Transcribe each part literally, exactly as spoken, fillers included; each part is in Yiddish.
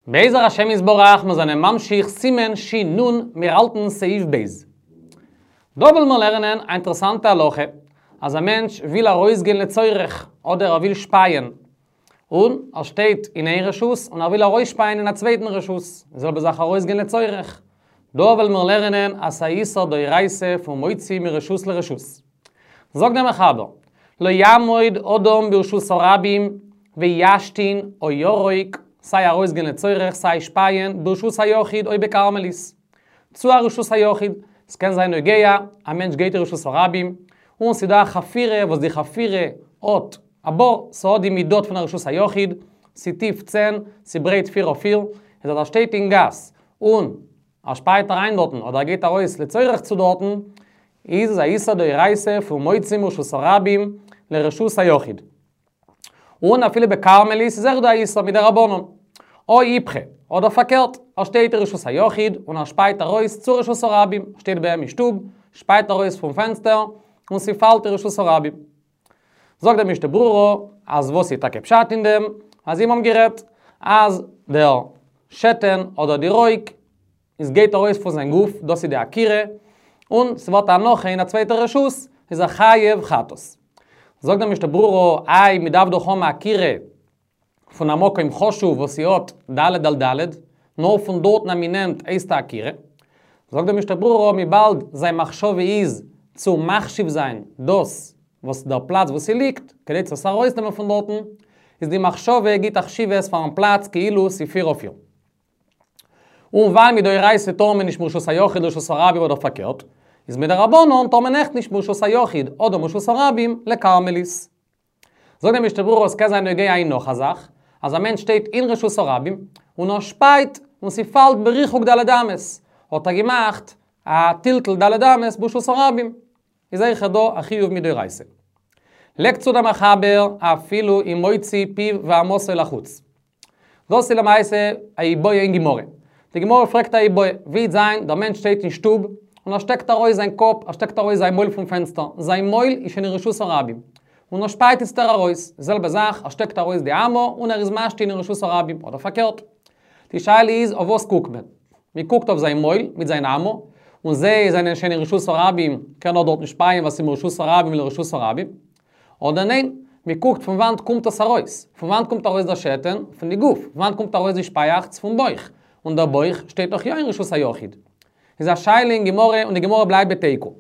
בעזר השם יתברך, מיר זענען ממשיך סימן שין נון, מיר האלטן סעיף ב'. דא וועלן מיר לערנען א אינטערעסאנטע הלכה, אז א מענטש וויל ארויסגיין לצורך, אדער ער וויל שפייען, און ער שטייט אין איין רשות און ער וויל ארויסשפייען אין א צווייטן רשות, די זעלבע זאך ארויסגיין לצורך. דא וועלן מיר לערנען אז ס'איז א איסור דאורייתא פון מוציא מרשות לרשות. זאגט דער מחבר, לא יעמוד אדם ברשות הרבים וישתין או ירוק, סיי ארויסגיין לצורך סיי שפייען, ברשות היחיד או בכרמלית. צו א רשות היחיד, ס'קען זיין נוגע, א מענטש גייט אין רשות הרבים, און ס'דא א חפירה וואס די חפירה האט א בור, ס'האט די מידות פון א רשות היחיד, ס'טיף צען, ס'ברייט פיר אויף פיר, איז אז ער שטייט אין גאס, און ער שפייט אריין דארטן אדער ער גייט ארויס לצורך צו דארטן, איז עס א איסור דאורייתא פון מוציא מרשות הרבים לרשות היחיד. און אפילו בכרמלית איז אויך דא א איסור מדרבנן. או איפכא, אדער פארקערט, ער שטייט אין רשות היחיד און ער שפייט ארויס צו רשות הרבים, שטייט ביי אים אין שטוב, שפייט ארויס פון פענסטער, און ס'פאלט אין רשות הרבים. זאגט דער משנה ברורה, אז וואס איז טאקע פשט אין דעם, אז זיי האבן גערעדט אז דער שתן אדער די רוק איז גייט ארויס פון זיין גוף, דאס איז די עקירה, און ס'ווערט א הנחה אין א צווייטע רשות, איז ער חייב חטאת. זאגט דער משנה ברורה, איי מ'דארף דאך האבן א עקירה פון א מקום חשוב וואס ס'האט ד' על ד', נאר פון דארטן אז מ'נעמט הייסט א עקירה. זאגט דער משנה ברורה, וויבאלד זיין מחשבה איז צו מחשיב זיין דאס וואס דער פלאץ וואו ס'ליגט, כדי צו עס ארויסנעמען פון דארטן, איז די מחשבה גיט א חשיבות פארן פלאץ כאילו ס'פיר אויף פיר. און ווייל מדאורייתא טאר מען נישט מרשות היחיד לרשות הרבים אדער פארקערט, איז מדרבנן טאר מען אויכט נישט מרשות היחיד אדער מרשות הרבים לכרמלית. זאגט דער משנה ברורה עס קען זיין נוגע אין נאך א זאך, אז א מענטש שטייט אין רשות הרבים און ער שפייט און ס'פאלט בריחוק ד' אמות, האט ער געמאכט א טלטול ד' אמות ברשות הרבים, איז אויכעט דא א חיוב מדאורייתא. לייגט צו דער מחבר אפילו אם מוציא פיו ואמתו לחוץ. דאס איז למעשה א איבעיא אין גמרא. די גמרא פרעגט א איבעיא, ווי וועט זיין דער מענטש שטייט אין שטוב און ער שטעקט ארויס זיין קאפ, ער שטעקט ארויס זיין מויל פון פענסטער, זיין מויל איז שוין אין רשות הרבים, און ער שפייט איצטער ארויס, די זעלבע זאך, ער שטעקט ארויס די אמה און ער איז משתין אין רשות הרבים, אדער פארקערט. די שאלה איז אויף וואס קוקט מען? מען קוקט אויף זיין מויל מיט זיין אמה, און זיי זענען שוין אין רשות הרבים, קען ער דארטן שפייען ווייל ס'איז מרשות הרבים לרשות הרבים. אדער ניין, מען קוקט פון וואנט קומט עס ארויס, פון וואנט קומט ארויס דער שתן? פון די גוף, פון וואנט קומט ארויס די שפייאכץ? פון בויך, און דער בויך שטייט דאך יא אין רשות היחיד. איז א שאלה אין גמרא און די גמרא בלייבט בתיקו. און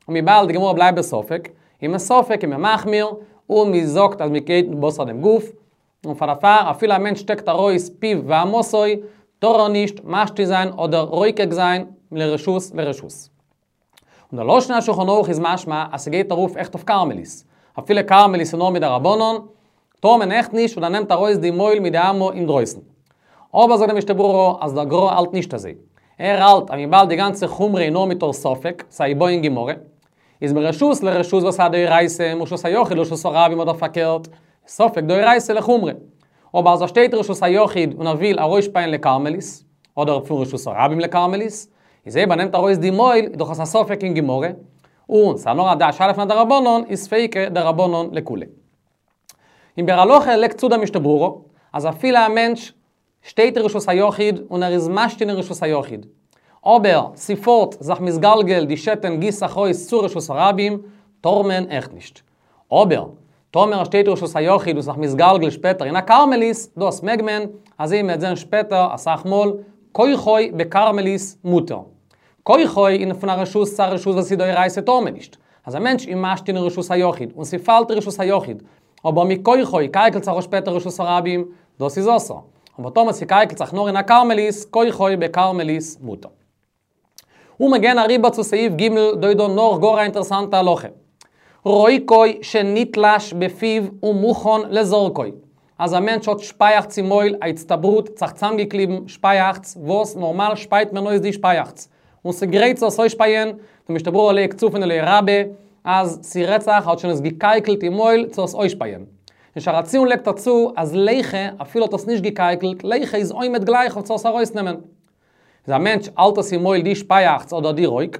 וויבאלד די גמרא בלייבט בספק, איז מען ספק איז מען מחמיר, און מען זאגט אז מען גייט בתר דעם גוף, און פאר דערפאר אפילו א מענטש שטעקט ארויס פיו ואמתו, טאר ער נישט משתין זיין אדער רוקק זיין מרשות לרשות. און דער לשון השולחן ערוך איז משמע אז ס'גייט ארויף אויכעט אויף כרמלית. אפילו כרמלית איז נאר מדרבנן, טאר מען אויכעט נישט און ער נעמט ארויס די מויל מיט די אמה אינדרויסן. אבער זאגט דער משנה ברורה אז דער גרא האלט נישט אזוי. ער האלט אז וויבאלד די גאנצע חומרא איז נאר מתוך ספק, ס'איז א איבעיא אין גמרא, איז מרשות לרשות וואס איז א דאורייתא, מרשות היחיד לרשות הרבים אדער פארקערט, ספק דאורייתא לחומרא. אבער אז ער שטייט רשות היחיד און ער וויל ארויסשפייען לכרמלית, אדער פון רשות הרבים לכרמלית, איז אויב ער נעמט ארויס די מויל איז דאך עס א ספק אין גמרא, און ס'איז נאר א שאלה פון א דרבנן, איז ספיקא דרבנן לקולא. אין ביאור הלכה לייגט צו דער משנה ברורה, אז אפילו א מענטש שטייט אין רשות היחיד און ער איז משתין אין רשות היחיד, אבער ס'פארט זיך מתגלגל די שתן גיסט זיך אויס צו רשות הרבים, טאר מען אויכעט נישט. אבער, טאמער ער שטייט רשות היחיד און ס'זיך מתגלגל שפעטער אין א כרמלית, דאס מעג מען, אזוי מ'וועט זען שפעטער אסאך מאל, כוחו בכרמלית מותר. כוחו אין פון א רשות צו א רשות וואס איז דאורייתא טאר מען נישט. אז א מענטש איז משתין אין רשות היחיד און ס'פאלט אין רשות היחיד, אבער מכוחו קייקלט זיך אויס שפעטער רשות הרבים, דאס איז אסור. אבער טאמער ס'קייקלט זיך נאר אין א כרמלית, כוחו בכרמלית מותר. און מיר גייען אריבער צו סעיף ג', דא איז דא נאך גאר א אינטערעסאנטע הלכה. רוקו שנתלש בפיו ומוכן לזורקו. אז א מענטש האט שפייעכץ אין מויל, א הצטברות, זיך צאמגעקליבן שפייעכץ, וואס נארמאל שפייט מען אויס די שפייעכץ. און ס'גרייט צו עס אויסשפייען, די משנה ברורה לייגט צו פון אליה רבה, אז ס'רעדט זיך האט שוין עס געקייקלט אין מויל צו עס אויסשפייען. אין שער הציון לייגט ער צו אז ליחה, אפילו האט עס נישט געקייקלט, ליחה איז עומד גלייך אויף צו עס ארויסנעמען. איז א מענטש האלט עס אין מויל די שפייעכץ אדער די רוק.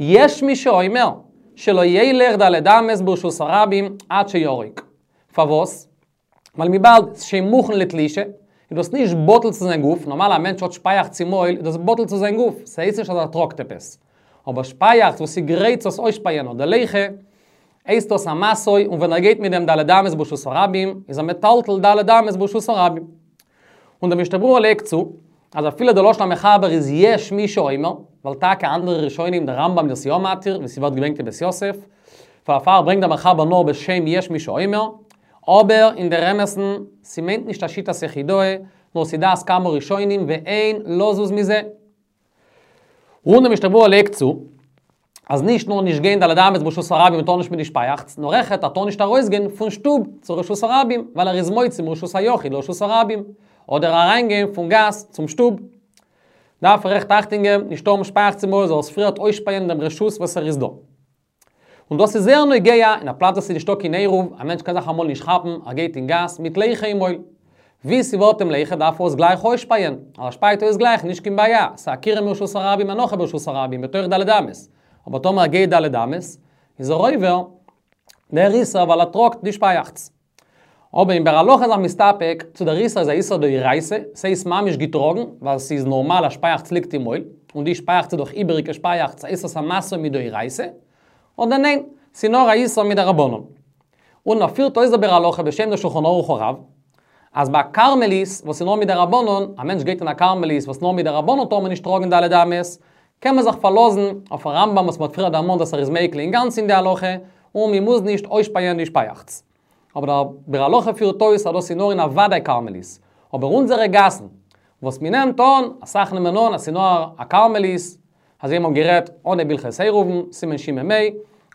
יש מי שאומר שלא ילך ד' אמות ברשות הרבים עד שירוק. פארוואס? ווייל וויבאלד ס'שוין מוכן לתלישה, איז דאס נישט בטל צו זיין גוף, נארמאל א מענטש האט שפייעכץ אין מויל, איז דאס בטל צו זיין גוף, ס'הייסט נישט אז ער טראגט עפעס. אבער שפייעכץ וואס איז גרייט צו עס אויסשפייען אדער ליחה, הייסט דאס א משוי, און ווען ער גייט מיט דעם ד' אמות ברשות הרבים, איז ער מטלטל ד' אמות ברשות הרבים. און דער משנה ברורה לייגט צו, אז אפילו דער לשון המחבר איז יש מי שאומר, ווייל טאקע אנדערע ראשונים, דער רמב"ם איז יא מתיר, ווי ס'ווערט געברענגט אין בית יוסף, פארפאר ברענגט דער מחבר נאר בשם יש מי שאומר, אבער אין דער אמת'ן, ס'מיינט נישט א שיטת יחידאה, נאר ס'איז דעת כמה ראשונים ואין לזוז מזה. און דער משנה ברורה לייגט צו, אז נישט נאר נישט גיין ד' אמות ברשות הרבים טאר נישט מיט די שפייעכץ, נאר אויכעט ער טאר נישט ארויסגיין פון שטוב צו רשות הרבים, ווייל ער איז מוציא מרשות היחיד לרשות הרבים, אדער אריינגיין פון גאס צום שטוב. דארף ער אויכעט אכטונג געבן, נישט האבן שפייעכץ אין מויל, זאל עס פריערט אויסשפייען דעם רשות וואס ער איז דא. און דאס איז זייער נוגע אין א פלאץ וואס איז נישטא קיין עירוב, א מענטש קען זיך אמאל נישט כאפן, ער גייט אין גאס מיט ליחה אין מויל. ווי ס'ווערט אים ליחה דארף ער עס גלייך אויסשפייען, אז ער שפייט אויס גלייך נישט קיין בעיה, ס'איז עקירה מרשות הרבים הנחה ברשות הרבים, בתוך ד' אמות. אבער טאמער ער גייט ד' אמות, איז ער עובר דער איסור ווייל ער טראגט די שפייעכץ. אבער אין ביאור הלכה איז ער מסתפק צו דער איסור איז א איסור דאורייתא, ס'הייסט ממש געטראגן, ווייל ס'איז נארמאל אז שפייעכץ ליגט אין מויל, און די שפייעכץ איז דאך איבעריגע שפייעכץ, הייסט עס א משא מדאורייתא, אדער ניין, ס'איז נאר א איסור מדרבנן. און ער פירט אויס דער ביאור הלכה בשם דער שולחן ערוך הרב, אז ביי כרמלית וואס איז נאר מדרבנן, א מענטש גייט אין א כרמלית וואס נאר מדרבנן טאר מען נישט טראגן ד' אמות, קען מען זיך פארלאזן אויפן רמב"ם וואס מ'האט פריער דערמאנט אז ער איז מיקל אינגאנצן אין די הלכה, און מ'מוז נישט אויסשפייען די שפייעכץ. אבער דער ביאור הלכה פירט אויס אז דאס איז נאר אין א וודאי כרמלית. אבער אונזערע גאסן, וואס מ'נעמט אן, אסאך נעמען אן אז ס'איז נאר א כרמלית, אזוי האבן מיר גערעדט אנהייב הלכות עירובין, סימן שמ"ה,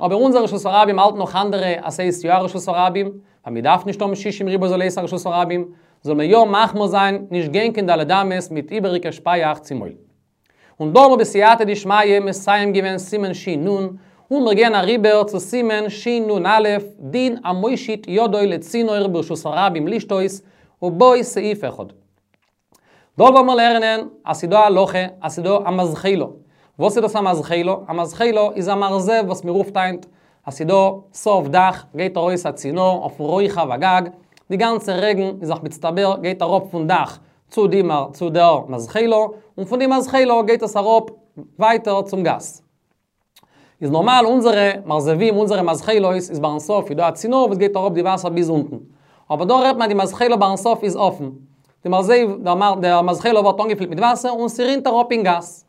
אבער אונזער רשות הרבים האלט נאך אנדערע אז ס'הייסט יא א רשות הרבים, ווייל מ'דארף נישט האבן שישים ריבוא זאל הייסן א רשות הרבים, זאל מען יא מחמיר זיין נישט גיין קיין ד' אמות מיט איבעריגע שפייעכץ אין מויל. און דא האבן מיר בסייעתא דשמיא מסיים געווען סימן ש"נ, און מיר גייען אריבער צו סימן שנ"א, דין המושיט ידו לצינור ברשות הרבים לשתות, ובו סעיף אחד. דא וועלן מיר לערנען אז ס'דא א הלכה אז ס'דא א מזחלא. וואס איז דאס א מזחלא? א מזחלא איז א מרזב וואס מ'רופט היינט אז ס'דא סוף דאך גייט ארויס א צינור אויפן רוחב הגג, די גאנצע רעגן איז זיך מצטבר גייט אראפ פון דאך צו די צו דער מזחלא, און פון די מזחלא גייט עס אראפ ווייטער צום גאס. איז נארמאל אונזערע מרזבים אונזערע מזחלות איז ביים סוף איז דא א צינור וואס גייט אראפ די וואסער ביז אונטן. אבער דא רעדט מען די מזחלא ביים סוף איז אפן. די מרזב, דער מזחלא ווערט אנגעפילט מיט וואסער און ס'רינט אראפ אין גאס.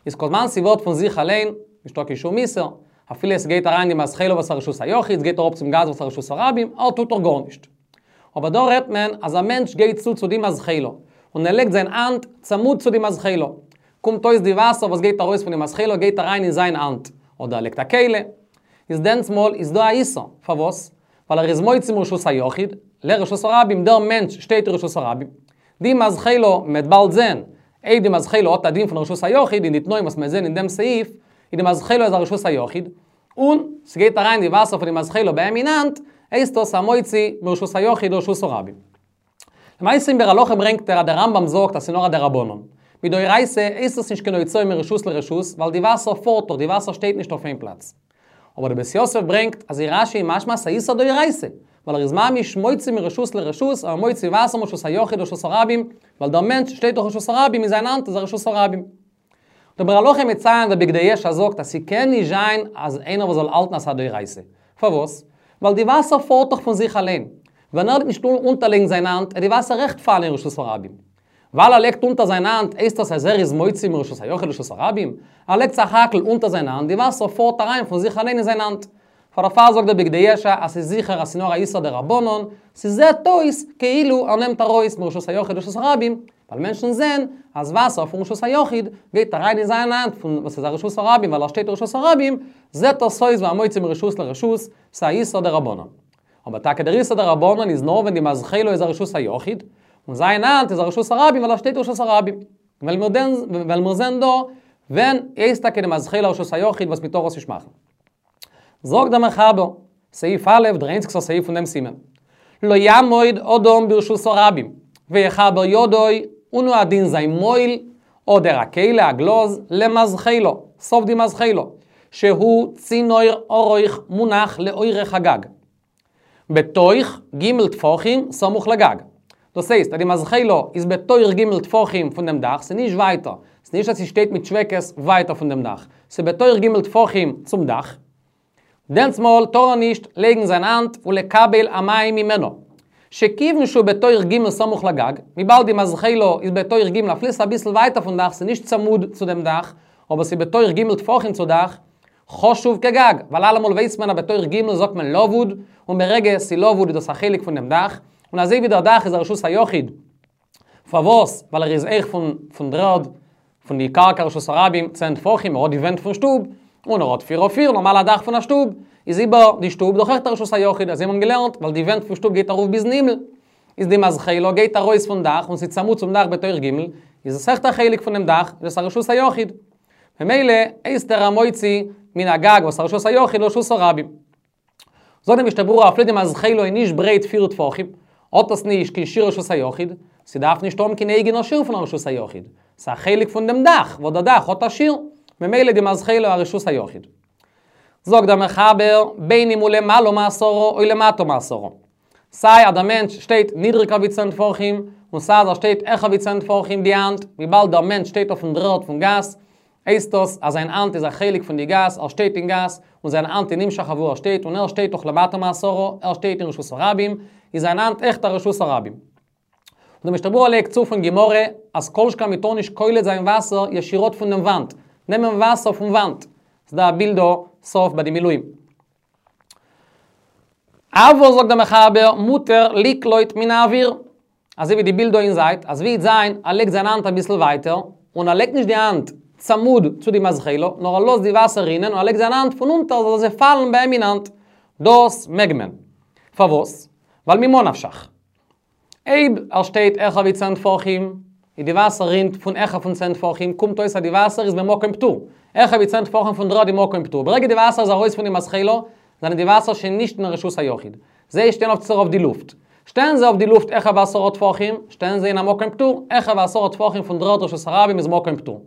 איז כל זמן ס'ווערט פון זיך אליין, נישטא קיין שום איסור. אפילו עס גייט אריין די מזחלא וואס איז א רשות היחיד, ס'גייט אראפ צום גאס וואס איז א רשות הרבים, ער טוט דאך גארנישט. אבער דא רעדט מען אז א מענטש גייט צו צו די מזחלא, און ער לייגט זיין האנט צמוד צו די מזחלא. קומט אויס די וואסער וואס גייט ארויס פון די מזחלא גייט אריין אין זיין האנט, אדער ער לייגט א כלי. איז דענסמאל איז דא א איסור. פארוואס? ווייל ער איז מוציא מרשות היחיד לרשות הרבים, דער מענטש שטייט אין רשות הרבים. די מזחלא, מ'וועט באלד זען, אויב די מזחלא האט א דין פון רשות היחיד אין די תנאים וואס מ'וועט זען אין דעם סעיף, איז די מזחלא איז א רשות היחיד, און ס'גייט אריין די וואסער פון די מזחלא ביי אים אין האנט, הייסט דאס המוציא מרשות היחיד לרשות הרבים. למעשה אין ביאור הלכה ברענגט ער אז דער רמב"ם זאגט אז ס'איז נאר א דרבנן. מדאורייתא הייסט עס נישט קיין הוצאה מרשות לרשות, ווייל די וואסער פארט דאך, די וואסער שטייט נישט אויף איין פלאץ. אבער דער בית יוסף ברענגט אז אין רש"י משמע ס'איז איסור דאורייתא, ווייל ער איז ממש מוציא מרשות לרשות, ער מוציא וואסער מרשות היחיד לרשות הרבים, ווייל דער מענטש שטייט דאך רשות הרבים אין זיין האנט איז א רשות הרבים. דער ביאור הלכה מציין דער בגדי ישע זאגט אז ס'קען נישט זיין אז איינער וואס זאל האלטן אז ס'איז א דאורייתא. פארוואס? ווייל די וואסער פארט דאך פון זיך אליין. ווען ער וועט נישט אונטערלייגן זיין האנט, וועט די וואסער אויכעט פאלן אין רשות הרבים. ווייל ער לייגט אונטער זיין האנט הייסט דאס אז ער איז מוציא מרשות היחיד לרשות הרבים? ער לייגט סך הכל אונטער זיין האנט, די וואסער פארט אריין פון זיך אליין אין זיין האנט. פאר דערפאר זאגט דער בגדי ישע אז ס'איז זיכער אז ס'איז נאר א איסור דרבנן, ס'זעט אויס כאילו ער נעמט ארויס מרשות היחיד לרשות הרבים, ווייל מענטשן זעען אז וואסער פון רשות היחיד גייט אריין אין זיין האנט פון וואס איז א רשות הרבים ווייל ער שטייט אין רשות הרבים, זעט עס אויס ווי א מוציא מרשות לרשות, ס'איז א איסור דרבנן. אבער טאקע דער איסור דרבנן איז נאר ווען די מזחלא איז א רשות היחיד, און זיין האנט איז א רשות הרבים ווייל ער שטייט אין רשות הרבים. וועלן מיר זען דא ווען הייסט טאקע די מזחלא א רשות היחיד וואס מ'טאר עס נישט מאכן. זאגט דער מחבר, סעיף א', דער איינציגסטער סעיף פון דעם סימן. לא יעמוד אדם ברשות הרבים, ויחבר ידו, און הוא הדין זיין מויל, אדער א כלי, א גלאז, למזחלא, סוף די מזחלא, שהוא צינור ארוך מונח לאורך הגג. בתוך ג' טפחים סמוך לגג. דאס הייסט, אז די מזחילו איז בתוך ג' טפחים פון דעם דאך, ס'איז נישט ווייטער. ס'איז נישט אז זי שטייט מיט שוועקעס ווייטער פון דעם דאך. ס'איז בתוך ג' טפחים צום דאך. דענסמאל טאר ער נישט לייגן זיין האנט ולקבל המים ממנו. שכיוון שהוא בתוך ג' סמוך לגג, וויבאלד די מזחילו איז בתוך ג' אפילו ס'איז אביסל ווייטער פון דאך, ס'איז נישט צמוד צו דעם דאך, אבער ס'איז בתוך ג' טפחים צו דאך, חשוב כגג, ווייל אלעמאל ווייסט מען אז בתוך ג' זאגט מען לבוד, און ברגע ס'איז לבוד איז דאס א חלק פון דעם דאך, און אזוי ווי דער דאך איז א רשות היחיד. פארוואס? ווייל ער איז אויך פון פון דר'ערד, פון די קרקע רשות הרבים, צען טפחים, ער האט די ווענט פון שטוב, און ער האט פיר אויף פיר, נארמאל א דאך פון א שטוב, איז איבער די שטוב דאך אויכעט א רשות היחיד, אזוי האבן מיר געלערנט, ווייל די ווענט פון שטוב גייט ארויף ביזן הימל, איז די מזחילו גייט ארויס פון דאך און ס'איז צמוד צום דאך בתוך ג', איז עס אויכעט א חלק פונעם דאך, איז עס א רשות היחיד. ממילא הייסט ער א מוציא מן הגג וואס א רשות היחיד לרשות הרבים. זאגט די משנה ברורה אפילו די מזחילו איז נישט ברייט פיר טפחים, האט עס נישט קיין שיעור רשות היחיד, ס'דארף נישט האבן קיין אייגענער שיעור פון א רשות היחיד, ס'איז א חלק פון דעם דאך, וואס דער דאך האט א שיעור, ממילא די מזחילו א רשות היחיד. זאגט דער מחבר, בין אם הוא למעלה מעשרה או למטה מעשרה. סיי אז דער מענטש שטייט נידריגער ווי צען טפחים, און סיי אז ער שטייט העכער ווי צען טפחים די האנט, וויבאלד דער מענטש שטייט אויפן דר'ערד פון גאס, הייסט דאס אז זיין האנט איז א חלק פון די גאס, ער שטייט אין גאס, און זיין האנט איז נמשך אוואו ער שטייט, און ער שטייט דאך למטה מעשרה, ער שטייט אין רשות הרבים, איז זיין האנט אויכעט א רשות הרבים. און דער משנה ברורה לייגט צו פון גמרא, אז כל שכן מ'טאר נישט קולט זיין וואסער ישירות פון דעם וואנט, נעמען וואסער פון וואנט. ס'דא א בילד דא, סוף ביי די מילואים. אבל זאגט דער מחבר, מותר לקלוט מן האוויר. אזוי ווי די בילד דא אין זייט, אז ווי זיין, ער לייגט זיין האנט אביסל ווייטער, און ער לייגט נישט די האנט צמוד צו די מזחילו, נאר ער לאזט די וואסער רינען און ער לייגט זיין האנט פון אונטער זאל זיי פאלן ביי אים אין האנט. דאס מעג מען. פארוואס? ווייל ממה נפשך. אויב ער שטייט העכער ווי צען טפחים, און די וואסער רינט פון העכער פון צען טפחים, קומט אויס אז די וואסער איז במקום פטור. העכער ווי צען טפחים פון דר'ערד איז מקום פטור. ברגע די וואסער איז ארויס פון די מזחילו, זענען די וואסער שוין נישט אין רשות היחיד. זיי שטייען אויף אויף די לופט. שטייען זיי אויף די לופט העכער ווי עשרה טפחים, שטייען זיי אין א מקום פטור, העכער ווי עשרה טפחים פון דר'ערד רשות הרבים איז מקום פטור.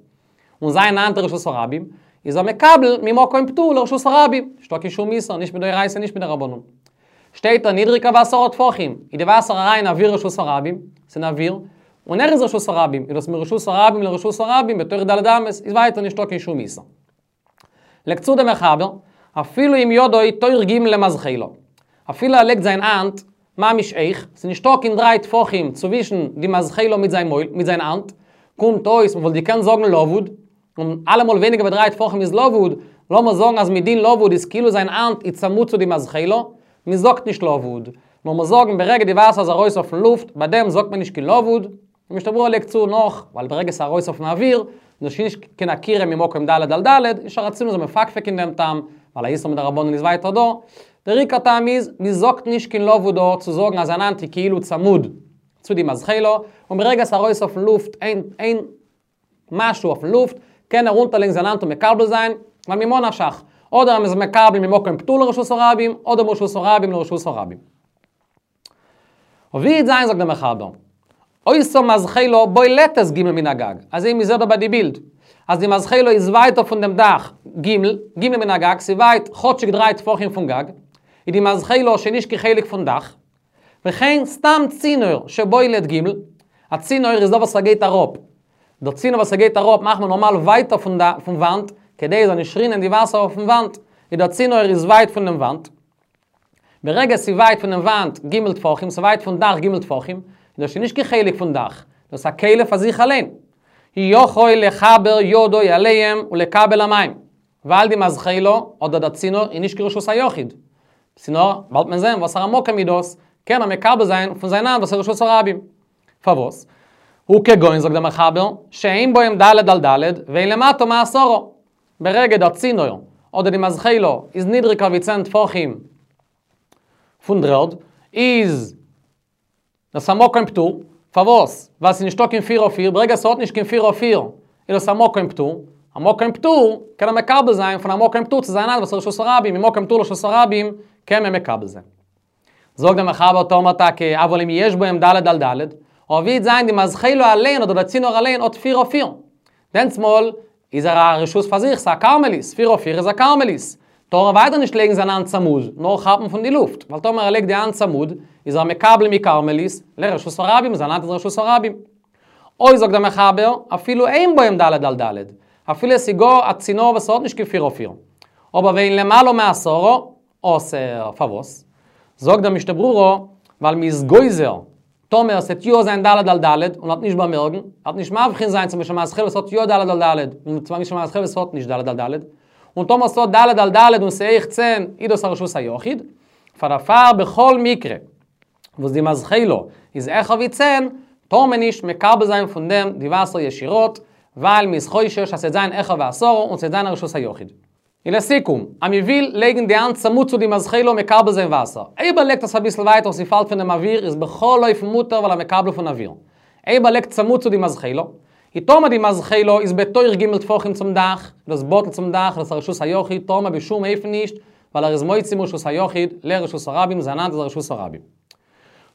און זיין האנט רשות הרבים, איז ער מקבל ממקום פטור לרשות הרבים. נישטא קיין שום איסור, נישט מדאורייתא נישט מדרבנן. שטייט ער נידריגער ווי עשרה טפחים, איז די וואסער אריין אין אוויר רשות הרבים, ס'איז אין אוויר, און ער איז רשות הרבים, איז דאס מרשות הרבים לרשות הרבים, בתוך ד' אמות, איז ווייטער נישטא קיין שום איסור. לייגט צו דער מחבר, אפילו אם ידו תוך ג' למזחילו. אפילו ער לייגט זיין האנט, ממש הויך, ס'איז נישטא קיין דריי טפחים צווישן די מזחילו מיט זיין מויל, מיט זיין האנט, קומט אויס, מ'וואלט געקענט זאגן לבוד, און אלעמאל ווייניגער ווי דריי טפחים איז לבוד, לאמיר זאגן אז מדין לבוד איז כאילו זיין האנט איז צמוד צו די מזחילו, מ'זאגט נישט לבוד, נאר מיר זאגן ברגע די וואסער איז ארויס אויפן לופט, ביי דעם זאגט מען נישט קיין לבוד, און משנה ברורה לייגט צו נאך, ווייל ברגע ס'איז ארויס אויפן אוויר, איז שוין נישט קיין עקירה ממקום ד' על ד', אין שער הציון איז מפקפק אין דעם טעם, ווייל א איסור מדרבנן איז ווייטער דא. דער עיקר טעם איז, מ'זאגט נישט קיין לבוד דא צו זאגן אז זיין האנט איז כאילו צמוד צו די מזחילו, און ברגע ס'איז ארויס אויפן לופט, איין איין משהו אויפן לופט, קען ער אונטערלייגן זיין האנט און מקבל זיין, ווייל ממה נפשך, אדער מ'איז מקבל ממקום פטור לרשות הרבים, אדער מרשות הרבים לרשות הרבים. ווי וועט זיין זאגט דער מחבר, היתה מזחילו בולטת ג' מן הגג, אזוי מ'זעט דא ביי די בילד, אז די מזחילו איז ווייטער פון דעם דאך ג', ג' מן הגג, ס'איז ווייט כאטשיג דריי טפחים פון גג, איז די מזחילו שוין נישט קיין חלק פון דאך, וכן סתם צינור שבולט ג', א צינור איז דא וואס ער גייט אראפ, דער צינור וואס ער גייט אראפ מאכט מען נארמאל ווייטער פון פון וואנט, כדי עס זאל נישט רינען די וואסער אויפן וואנט, איז דער צינור איז ווייט פון דעם וואנט. ברגע ס'איז ווייט פון דעם וואנט ג' טפחים, ס'איז ווייט פון דאך ג' טפחים, איז דאס שוין נישט קיין חלק פון דאך, דאס איז א כלי פאר זיך אליין. יכול לחבר ידו עליהם ולקבל המים, ווייל די מזחילו אדער דער צינור איז נישט קיין רשות היחיד. צינור, באלד מען זען וואסערע מקום איז דאס, קען ער מקבל זיין פון זיין האנט וואס איז רשות הרבים. פארוואס? הוא כגון זאגט דער מחבר, שאין בהם ד' על ד' ואין למטה מעשרה. ברגע דער צינור אדער די מזחילו איז נידריגער ווי צען טפחים פון דר'ערד, איז דאס א מקום פטור, פארוואס? ווייל ס'איז נישטא קיין פיר אויף פיר, ברגע ס'האט נישט קיין פיר אויף פיר, איז דאס א מקום פטור, א מקום פטור קען ער מקבל זיין פון א מקום פטור צו זיין האנט וואס איז רשות הרבים, ממקום פטור לרשות הרבים קען מען מקבל זיין. זאגט דער מחבר טאמער טאקע אבל אם יש בהם ד' על ד', אבער ווי וועט זיין די מזחילו אליין אדער דער צינור אליין האט פיר אויף פיר, דענסמאל איז ער א רשות פאר זיך, ס'איז א כרמלית, פיר אויף פיר איז א כרמלית. טאר ער ווייטער נישט לייגן זיין האנט צמוד, נאר כאפן פון די לופט. ווייל טאמער ער לייגט די האנט צמוד, איז ער מקבל מכרמלית, לרשות הרבים, זיין האנט איז רשות הרבים. אוי זאגט דער מחבר, אפילו אין בהם ד' על ד', אפילו עס איז גאר א צינור וואס האט נישט קיין פיר אויף פיר. אבער ואין למעלה מעשרה, אסור, פארוואס? זאגט דער משנה ברורה, ווייל מ'איז גוזר, טאמער ס'עט יא זיין ד' על ד', און ער'ט נישט באמערקן, ער'ט נישט מבחין זיין צווישן מזחל וואס האט יא ד' על ד', און צווישן מזחל וואס האט נישט ד' על ד', און טאמער ס'האט ד' על ד' און ס'הויך צען, איז דאס א רשות היחיד, פאר דערפאר בכל מקרה, וואס די מזחלה איז העכער ווי צען, טאר מען נישט מקבל זיין פון דעם די וואסער ישירות, ווייל מ'איז חושש אז ס'וועט זיין העכער ווי עשרה און ס'וועט זיין א רשות היחיד. און לסיכום, אז מ'וויל לייגן די האנט צמוד צו די מזחלה מקבל זיין וואסער. אויב ער לייגט עס אביסל ווייטער און ס'פאלט פון דעם אוויר איז בכל אופן מותר ווייל ער מקבל פון אוויר. אויב ער לייגט צמוד צו די מזחלה, און טאמער די מזחלה איז בתוך ג' טפחים צום דאך, דאס בטל צום דאך, דאס איז רשות היחיד, טאר מען בשום אופן נישט, ווייל ער איז מוציא מרשות היחיד לרשות הרבים, זיין האנט איז רשות הרבים.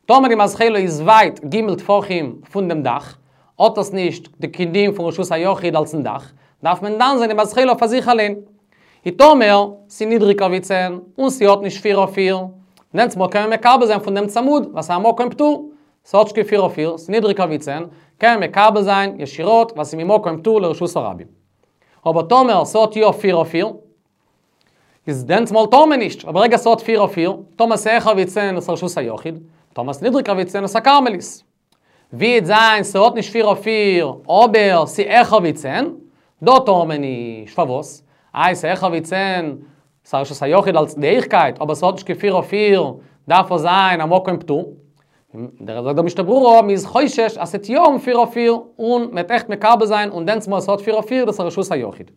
טאמער די מזחלה איז ווייט ג' טפחים פון דעם דאך, האט עס נישט די דין פון רשות היחיד אלס'ן דאך, דארף מען דן זיין די מזחלה פאר זיך אליין. און טאמער ס'נידריגער ווי צען, און ס'האט נישט פיר אויף פיר, דענסטמאל קען מען מקבל זיין פון דעם צמוד, ווייל ס'איז א מקום פטור, ס'האט נישט קיין פיר אויף פיר, ס'נידריגער ווי צען, קען מען מקבל זיין ישירות, ווייל ס'איז ממקום פטור לרשות הרבים. אבער טאמער ס'האט יא פיר אויף פיר, איז דענסטמאל טאר מען נישט, אבער ברגע ס'האט פיר אויף פיר, טאמער ס'העכער ווי צען איז רשות היחיד, טאמער ס'נידריגער ווי צען איז א כרמלית. ווי וועט זיין ס'האט נישט פיר אויף פיר, אבער ס'העכער ווי צען, דא טאר מען נישט, פארוואס? איי ס'העכער ווי צען, ס'איז רשות היחיד אלס די הויכקייט, אבער ס'האט נישט קיין פיר אויף פיר, דארף עס זיין א מקום פטור. דער זאגט דער משנה ברורה, מ'איז חושש אז ס'עט יא האבן פיר אויף פיר, און מ'עט עכט מקבל זיין, און דענסטמאל ס'האט פיר אויף פיר, דאס איז רשות היחיד.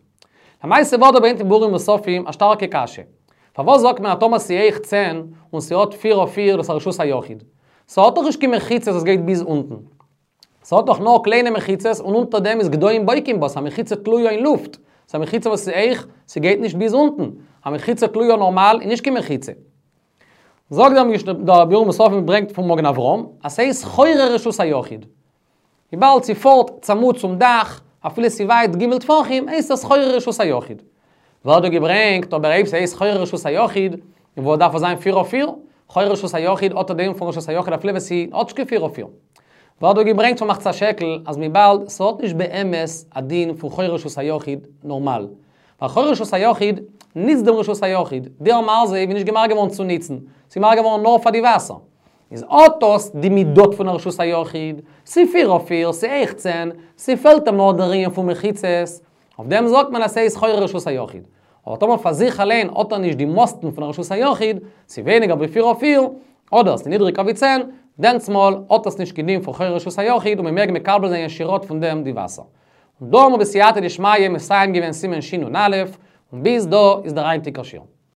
למעשה ווערט דא ברענגט אין ביאורים נוספים א שטארקע קשיא. פארוואס זאגט מען אז טאמער ס'הויך צען און ס'האט פיר אויף פיר דאס איז רשות היחיד? ס'האט דאך נישט קיין מחיצות וואס גייט ביז אונטן. ס'האט דאך נאר קליינע מחיצות און אונטער דעם איז גדיים בוקעים בה, ס'איז א מחיצה תלויה אין לופט. ס'איז א מחיצה וואס איז הויך, ס'גייט נישט ביז אונטן. א מחיצה תלויה נארמאל איז נישט קיין מחיצה. זאגט דער משנה, דער ביאור נוספים ברענגט פון מגן אברהם, אז ס'איז חורי רשות היחיד. וויבאלד ס'פארט צמוד צום דאך, אפילו ס'ווייט ג' טפחים, הייסט עס חורי רשות היחיד. ווערט דא געברענגט, אבער אויב ס'הייסט חורי רשות היחיד, וואו דארף עס זיין פיר אויף פיר? חורי רשות היחיד האט א דין פון רשות היחיד אפילו ווען ס'האט נישט קיין פיר אויף פיר. ווערט דא געברענגט פון מחצית השקל, אז וויבאלד ס'האט נישט באמת א דין פון חורי רשות היחיד נארמאל. ווייל חורי רשות היחיד ניצט דעם רשות היחיד, דער מרזב איז נישט געמאכט געווארן צו ניצן, ס'איז געמאכט געווארן נאר פאר די וואסער. איז האט דאס די מידות פון א רשות היחיד, ס'פיר אויף פיר, ס'הויך צען, ס'פעלט אים נאר דער ענין פון מחיצות, אויף דעם זאגט מען אז ס'איז חורי רשות היחיד. אבער טאמער פאר זיך אליין האט ער נישט די מאסטן פון א רשות היחיד, ס'ווייניגער ווי פיר אויף פיר, אדער ס'נידריגער ווי צען, דענסטמאל האט עס נישט קיין דין פון חורי רשות היחיד און מ'מעג מקבל זיין ישירות פון דעם די וואסער. און דא האבן מיר בסייעתא דשמיא מסיים געווען סימן שנ"א, און ביז דא איז דער היינטיגער שיעור.